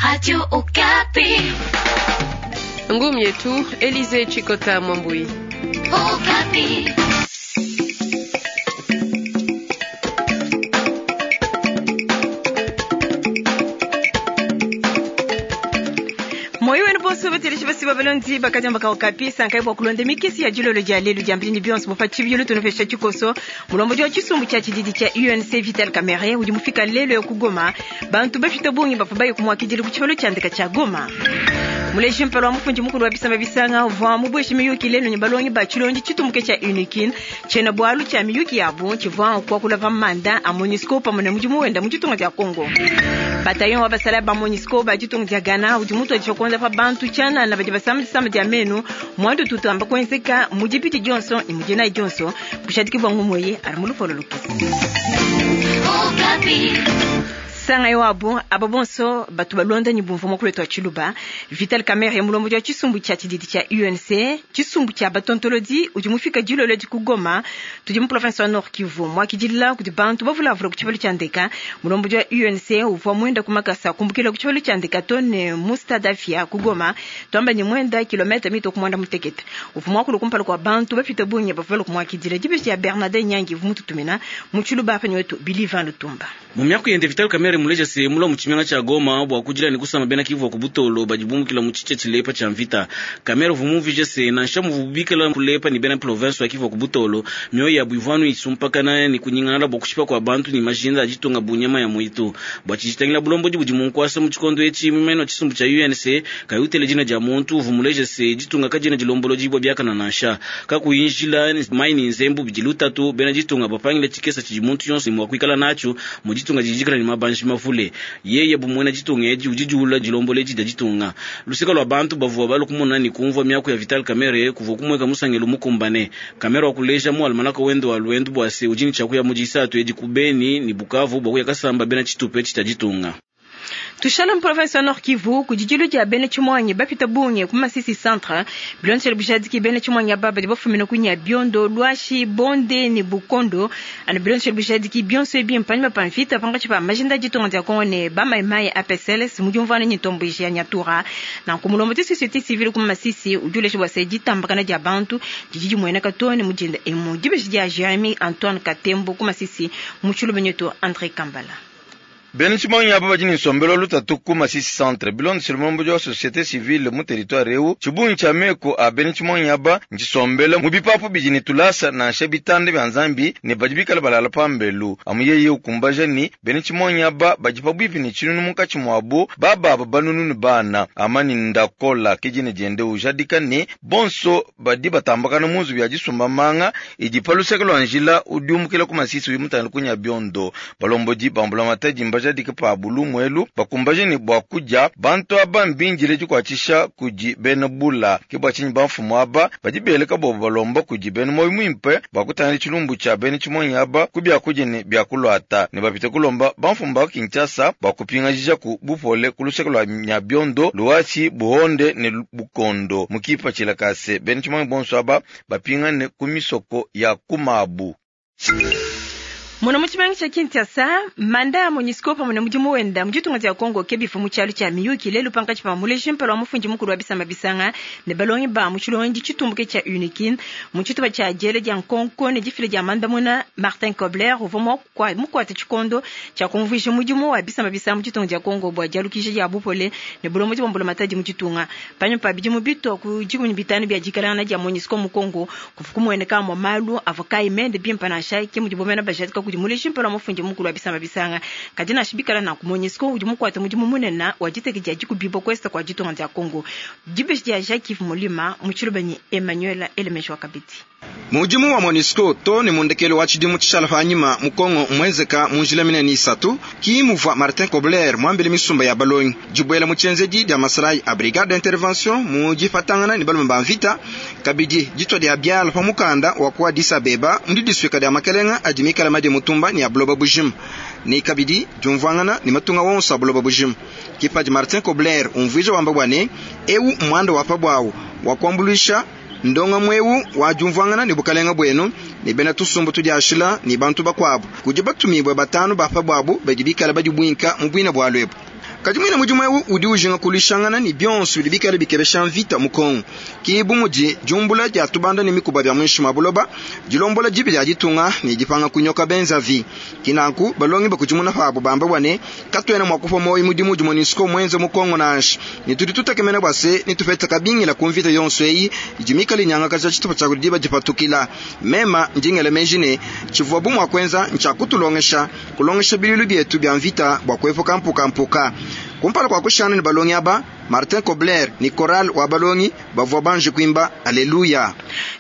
Radio Okapi. Ngumi yetu Elize Chikota Mwambui. Okapi. Moyo wenu bonso bateleshi basi babalondi bakadiamba ka Okapi sankai bua kulonda mikesi ya dilolo dia lelu dia mpindi bionso bupa tshibilu tunupesha tshikoso mulombodi wa tshisumbu tshia tshididi tshia UNC Vital Kamerhe udi mufika lelu ya ku Goma. Bantu bafita bungi bavua baye kumuakidila ku tshibalo tshia ndeka tshia Goma. Muleji mpala wa mufundi mukulu wa bisamba bisanga uvua mubueshe miyuki lelu ne balongi ba tshilongi tshitumuke tshia UNIKIN tshiena bualu tshia miyuki yabu tshivua kuakula pa manda a MONUSCO pamue ne mudimu wenda mu ditunga dia Congo. Bataillon wa basala ba MONUSCO ba ditunga dia Ghana udi mutuadije kuonza pa bantu tshianana badi basama disama dia menu muandu tutamba kuenzeka mu dipiti dionso ne mu dinayi dionso bushadiki bua ngumuyi ali mu lupolo lukese. Okapi. Sanga wabo aba bonso batu balonda ni bumvu mukulu wetu wa Tshiluba Vital Kamerhe mulombodi wa tshisumbu tshia tshididi tshia UNC tshisumbu tshia batontolodi udi mufika dilolo di ku Goma tudi mu province wa Nord Kivu muakidila kudi bantu bavulavula ku tshibalu tshia ndeka. Mulombodi wa UNC uvua muenda ku makasa kumbukila ku tshibalu tshia ndeka to ne mu stade Afia ku Goma tuamba ni muenda kilomètre mito ku mwanda mutekete uvua muakulu kumpala kua bantu bapita bungi bavua kumuakidila dibeji ya Bernardin Nyangi uvua mututumina mu Tshiluba apa ni wetu Bilivan Lutumba. Mu miaku yende Vital Kamerhe muleja se mula mu tshimenga tshia Goma bua kudila ne kusamba bena Kivu ku butolo badi bumukila mu tshitshia tshilepa tshia mvita. Kamerhe uvua mumvije se nansha muvubikila kulepa ne bena province wa Kivu ku butolo mioyo yabu ivua isumpakana ne kunyingala bua kushipa kua bantu ne majinda a ditunga bu nyama ya muitu. Bua tshijitangila bulombodi budi munkuasa mu tshikondo etshi mumene wa tshisumbu tshia UNC kayutele dina dia muntu uvua muleja se ditunga kadiena dilombolodibua biakana nansha kakuyi njila mai ne nzembu bidi lutatu bena ditunga bapangila tshikesa tshidi muntu yonso mua kuikala natshio mu ditunga didikala ne mabanji mavule. Yeye bu muena ditunga edi udi diula dilomboledi dia ditunga. Luseka lua bantu bavua balu kumona ne kumvua miaku ya Vital Kamerhe kuvua kumueka musangelo mukumbane. Kamerhe wakuleja mu almanaka wende wa luendu bua se udi ne tshiakuya mu disatu edi ku Beni ne Bukavu bua kuya kasamba bena tshitupa etshi tshia ditunga. Tushala mu province wa Nord Kivu ku didilu dia bena Tshimuangi bapita bungi ku Masisi centre bilondeshele bujadiki bena Tshimuangi aba badi bafumina ku Nyabiondo, Lwashi, Bonde ne Bukondo anu bilondeshele bujadiki bionso ebi mpanyima pa mvita pankatshi pa majinda a ditunga dia Kongo ne bamayimayi APCLS mu diumvuana ne ntomboji ya Nyatura. Nanku mulombodi wa société civile ku Masisi udi uleja bua se ditambakana dia bantu didi dimueneka too ne mu dinda emu. Dibeji dia Jeremy Antoine Katembo ku Masisi mu Tshiluba nyetu André Kambala. Bena Tshimuangi aba badi ne nsombelu wa lutatu ku Masisi centre bilondeshele mulombodi wa société civile mu territoire eu. Tshibungi tshia meku a bena Tshimuangi aba ntshisombele mu bipapu bidi ne tulasa nansha bitanda bia nzambi ne badi bikale balala pambelu. Amu yeye ukumbaja ni bena Tshimuangi aba badi pabuipi ne tshinunu munkatshi muabu bababa banunu ne bana. Amani Ndakola ke dina diende ujadika ne bonso badi batambakana mu nzubu ya disumba manga idi pa luseke lua njila udi umukila ku Masisi uyi mutangile ku Nyabiondo. Balombodi ba mbulamatadi mbajadike pa bulumu elu bakumbaje ne bua kudia bantu aba mbindile dikuatshisha kudi bena bula. Ke bua tshinyi bamfumu aba badi beleka bobo balomba kudi bena moyo muimpe bua kutangila tshilumbu tshia bena Tshimuangi aba ku biakudia ne biakuluata ne bapite kulomba bamfumu ba Kinshasa bua kupingajija ku bupole ku luseke lua Nyabiondo, Luasi, Buhonde ne Bukondo mu kipatshila ka se bena Tshimuangi bonso aba bapingane ku misoko ya kumabu. Muna mu tshimenga tshia Kinshasa, manda ya MONUSCO pamue ne mudimu wenda mu ditunga dia Congo ke bivua mu tshialu tshia miyuki lelu pankatshi pa muleji mpala wa mufundi mukulu wa bisamba bisanga ne balongi ba mu tshilongedi tshitumbuke tshia UNIKIN mu tshitupa tshia diela dia nkonko ne difila dia mandamuna. Martin Kobler uvua mukuate tshikondo tshia kumvuija mudimu wa bisamba bisanga mu ditunga dia Congo bua dialukija dia bupole ne bulombodi bua mbulamatadi mu ditunga. Panyima pa bidimu bitua ku 15 bia dikalangana dia MONUSCO mu Congo kuvua kumueneka amue malu avua kayi mende bimpe nansha ke mudibo bena bajadika kudi muleji mpala wa mufundi mukulu wa bisamba bisanga. Kadi nansha bikala nanku MONUSCO udi mukuate mudimu munene wa diteka dia dikubibua kuesta kua ditunga dia Congo. Dibeji dia Jacques Mulima mu Tshiluba ne Emmanuel Elemeshi wa Kabidi. Mudimu wa MONUSCO to ne mundekelo wa tshidimu tshishala panyima mu Congo mwenzeka mu njila minene isatu ki muvua Martin Kobler muambile misumba ya balongi dibuela mu tshienzedi dia masalayi a brigade d'intervention mu dipatangana ne balume ba mvita kabidi ditua dia biala pa mukanda wa ku Addis Abeba mu didisuika dia makelenga adi mikala madi mutumba ne ya buloba bujima ne kabidi diumvuangana ne matunga wonso a buloba bujima. Kipadi Martin Kobler umvuija wamba bua ne eu muanda wa pa buawu wa kuambuluisha ndonga mwewu wa diumvuangana ne bukalenga buenu ne bena tusumbu tudiashila ne bantu bakuabu kudi batumibue batanu ba pa buabu badi bikala badi buinka mu buina bua lwebu. Kadi mwina mudimu eu udi ujinga kuluishangana ne bionso bidi bikale bikebesha mvita mu Kongo. Ki bu mudi diumbula dia tubanda ne mikuba bia muinshi mua buloba, dilombola dibi dia ditunga ne dipanga kunyoka benzavi. Ki nanku balongi bakudimuna pabu bamba bua ne katuena mua kupua muoyo mudimu udi MONUSCO muenze mu Kongo nansha, ne tudi tutekemena bua se netupete kabingila ku mvita yonso eyi idi mikale inyangakaja tshitupa tshia kudi diba dipatukila. Mema ndi ngela meji ne tshivuabu mua kuenza ntshia kutulongesha, kulongesha biluilu bietu bia mvita bua kuepuka mpukampuka. Kumpala kua kushana ne balongi aba, Martin Kobler ne chorale wa balongi bavua banji kuimba Alleluia.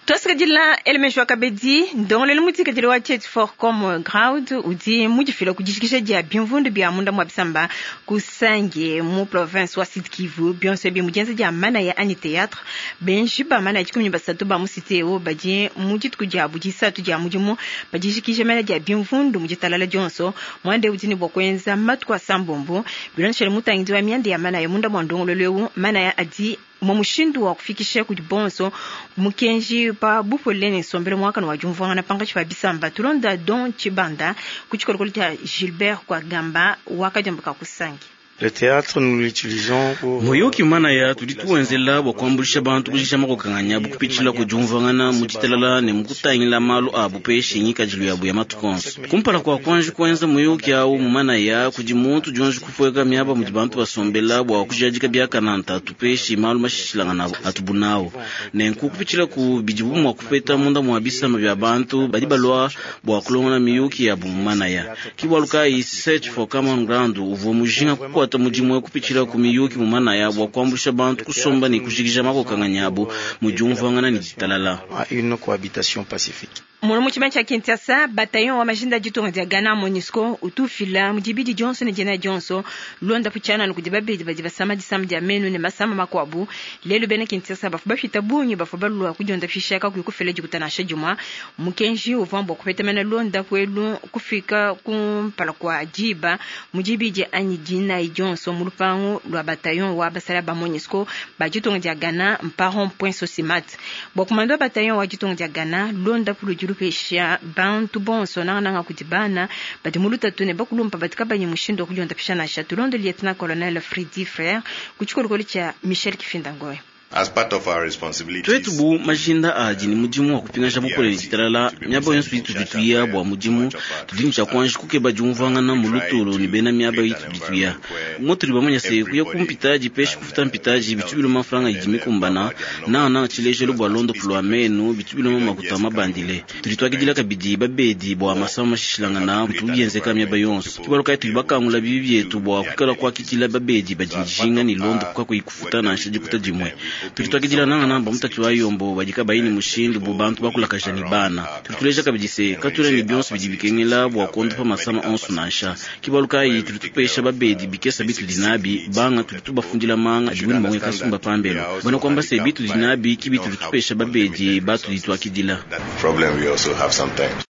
Tuasakidila Elmejo Kabedi, ndongoluelu mutikadile wa Search for Common Ground udi mudifila ku dijikija dia bimvundu bia munda mua bisamba ku Sange mu province wa Sud Kivu. Bionso ebi mu dienza dia manaya anyi théâtre. Benji ba manaya 13 ba mu cité eu badi mu dituku diabu disatu dia mudimu badijikija manaya dia bimvundu mu ditalala dionso. Mwande udi ne bua kuenza matuku asambombo. Bilondeshile mutangidi wa mianda ya manaya munda mua ndongoluelu eu, manaya adi mu mushindu wa kufikisha kudi bonso mukenji pa bupole ne nsombelu muakane wa diumvuangana pankatshi pa bisamba. Tulonda Don Tshibanda ku tshikolokolo tshia Gilbert Kwagamba wakadiambuka ku Sange. Le théâtre, nous l'utilisons pour Muyuki manaya tudi tuwenzela bua kuambuluisha bantu kujikija makokanganya abu kupitshila ku diumvuangana mu ditalala ne mu kutangila malu abu peshi ngikadilu yabu ya matuku onso. Kumpala kua kuanji kuenza muyuki awu mu manaya kudi muntu dionji kupueka miaba mudi bantu basombela bua kujadika biakana ntatu peshi malu mashishilangana atubu nawu. Nenku kupitshila ku bidibu mua kupeta munda mua bisamba bia bantu badi balua bua kulongola miyuki yabu mu manaya. Ki bualu kayi Search for Common Ground uvua mujinga kukuata mudimu kupitshila ku miyuki mu manaya bua kuambuluisha bantu kusomba ne kujikija makokanganya abu mu diumvuangana ne ditalala. Une cohabitation pacifique. Muno mu tshimenga tshia Kinshasa, bataillon wa majinda ditunga dia Ghana MONUSCO utufila mu dibidi dionso ne dina dionso londapu tshianana kudi babedi badi basama disama dia menu ne masama makuabu. Lelu bena Kinshasa bafu bafita bungi bafu balua kudiondafisha kakuyi kufila dikuta nansha dimue. Mukenji uvua bua kupetamena londapu elu kufika kumpala kua diba mu dibidi anyi dinayi dionso mu lupangu lua bataillon wa basala ba MONUSCO ba ditunga dia Ghana mpa rond-point Socimat. Bua kumanda wa bataillon wa ditunga dia Ghana londapu ludi lupesha bantu bonso nangananga kudi bana badi mu lutatu ne bakulumpa badi kabanyi mushindu wa kudiondafisha nansha. Tulonde lieutenant colonel Freddy Frère ku tshikolokolo tshia Michel Kifinda Ngoy. As part of our responsibilities, Twetu bu majinda adi ne mudimu wa kupingaja bupole ne ditalala miaba yonso itudi tuya bua mudimu tudi ne tshia kuanji kukeba diumvuangana mu lutulu ne bena miaba itudi tuya. Mutudi bamanya se kuya ku mpitaji peshi kufuta mpitaji bitu biloma mfranga idi mikumbana nangananga tshilejelu bua londopu lua menu bitu biloma makuta mabandile. Tudi tuakidila kabidi babedi bua masama mashishilangana bitu bienzeka miaba yonso. Ki bualu kayi tudi bakangula bibi bietu bua kuikala kuakidila babedi badi dijinga ne londopu kakuyi kufuta nansha dikuta dimue. Tudi tuakidila nangana bamutatu wa yombo badi kabayi ne mushindu bu bantu bakulakaja ne bana. Tudi tuleja kabidi se katuena ne bionso bidi bikengela bua kuondopa masama onso nansha. Ki bualu kayi tudi tupesha babedi bikesa bitudi nabi banga tudi tubafundila manga adibu ne bamwe kasumba pambelo. Bana kuamba se bitudi nabi ki bitudi tupesha babedi batudi tuakidila. That problem we also have sometimes.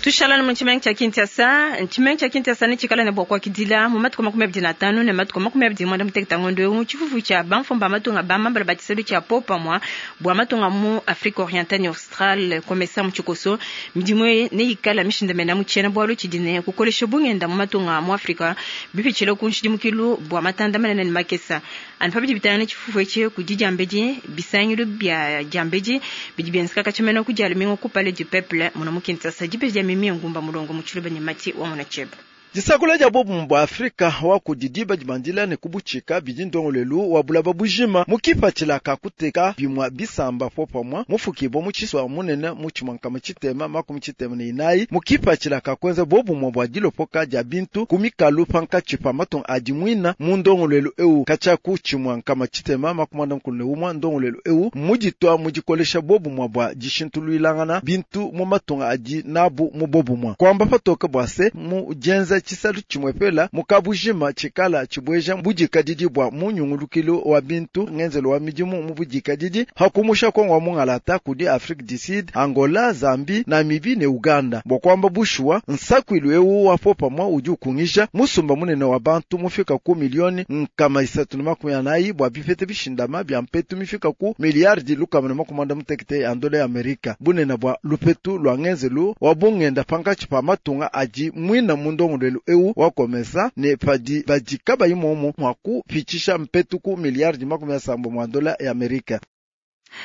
Tushala mu tshimenga tshia Kinshasa, tshimenga tshia Kinshasa ne tshikala ne bua kuakidila mu matuku 25 ne matuku 26 ngondo eu tshifufu tshia bamfumba matunga ba mambala ba tshisalu tshia popamwa bua matunga mu Afrique orientale ne australe komesa mu tshikoso. Midimu eyi neyikala mishindamena mu tshiena bualu tshidi ne kukolesha bungenda mu matunga mu Afrika bipitshila ku nshidimukilu bua matanda manene ne makesa. Anu pa bidi bitangila tshifufu etshi kudi diambedi bisangilu bia diambedi bidi bienzeka katshimena ku dia lumingu ku Palais du Peuple muno mu Kinshasa. Dibeji dia mimi ngumba mulongo mu tshiluba ne mati wa mona tsheba. Disakula dia bobu bua Afrika wa kudi diba dibandila ne kubutshika bidi ndongoluelu wa bulaba bujima mu kipatshila ka kuteka bimua bisamba popamwa mufukibwa mu tshisua munene mu tshimwankama tshitema makumi tshitema ne inayi mu kipatshila ka kuenza bobumua bua dilopoka dia bintu ku mikalu pankatshi pa matunga adi muina mu ndongoluelu eu katshia ku tshimwankama tshitema makumi anda mukulu ne umua. Ndongoluelu eu muditua mu dikolesha bobumua bua dishintuluilangana bintu mu matunga adi nabu mu bobumua kuamba patoke bua se mu dienza tshisalu tshimwepela mukabujima tshikala tshibweja budikadidi bua munyungulukilu wa bintu ngenzelo wa midimu mu budikadidi hakumusha Kongo wa mungalata kudi Afrique du Sud, Angola, Zambie, Namibie ne Uganda. Bua kuamba bushuwa nsakwilu eu wa popamwa udi ukungisha musumba munene wa bantu mufika ku milioni nkama isatu na makumi anayi bua bipete bishindama bia mpetu mifika ku miliardi lukama na makumi anda mutekete ya ndola ya Amerika. Bunene bua lupetu lua ngenzelu wa bungenda pankatshi pa matunga adi mwina mu ndongoluelu. nsombelu eu wa komesa ne padi badi kabayi momo mwa kupitshisha mpetu ku miliardi 70 mwa dola ya Amerika.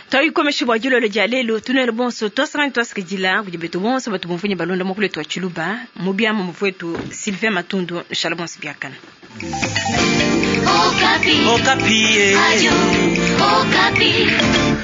Twayikomesha bwa dilolo dia lelo tunwele bonso twasangani twasikidila kudi betu bonso batu bumvunyi balonda mukulu wetu wa tshiluba mu biama muvu Sylvain Matundu nshala bonso biakana. Okapi. Okapi. Radio Okapi.